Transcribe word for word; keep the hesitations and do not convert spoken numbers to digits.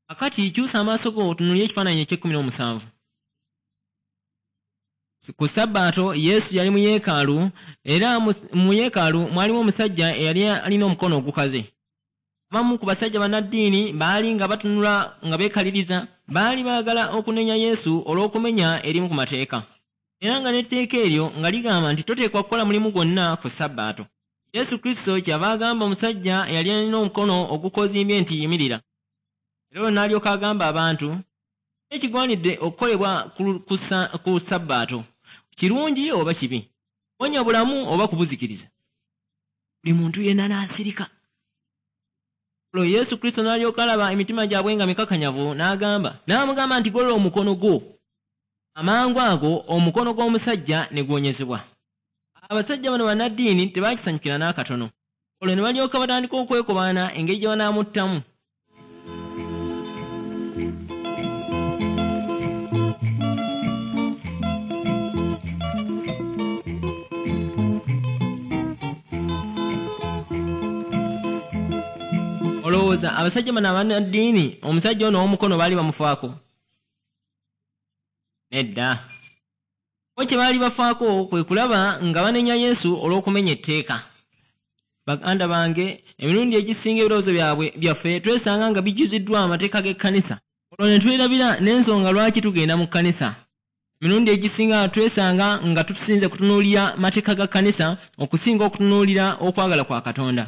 Akati kyusa amaaso go otunuulire ekifaananyi eky'ekkumi n'omusanvu. Ku Sabbaato Yesu yali mu yeekaalu, era mu yeekaalu mwalimu omusajja eyali alina omukono ogukaze. Abamu ku basajja bannaddiini baali nga batunula nga beekaliriza, baali baagala okunenya Yesu olw'okumenya erimu ku mateeka. Era nga n'etteeka eryo nga ligamba nti toteekwa kukola mulimu gwonna ku Sabbaato. Yesu Kristo kyava agamba omusajja eyali alina omukono ogukozimbye nti yimirira. Era olwo n'alyoka agamba abantu ekigwanidde okukolebwa ku Sabbaato, kirungi oba kibi, kuwonya bulamu oba kubuzikiriza. Buli muntu yenna n'asirika. Olwo Yesu Kristo n'alyoka alaba emitima gyabwe nga mikakanyavu, n'agamba n'amugamba nti golola omukono gwo. Amangu ago omukono gw'omusajja ne guwonyezebwa. Abasajja bano bannaddiini tebaakisanyukira n'akatono. Olwo ne balyoka batandika okwekobaana engeri gye banaamuttamu. Olowooza abasajja bano abannaddiini omusajja ono ow'omukono baali bamufaako? Nedda. Bo kye baali bafaako kwe kulaba nga banenya Yesu olw'okumenya etteeka. Baganda bange, emirundi egisinga ebirowoozo byabwe byaffe twesanga nga bijjuziddwa amateeka g'ekkanisa. Olwo ne twerabira n'ensonga lwaki tugenda mu kkanisa. Emirundi egisinga twesanga nga tusinze kutunuulira mateeka ga kkanisa okusinga okutunuulira okwagala kwa Katonda.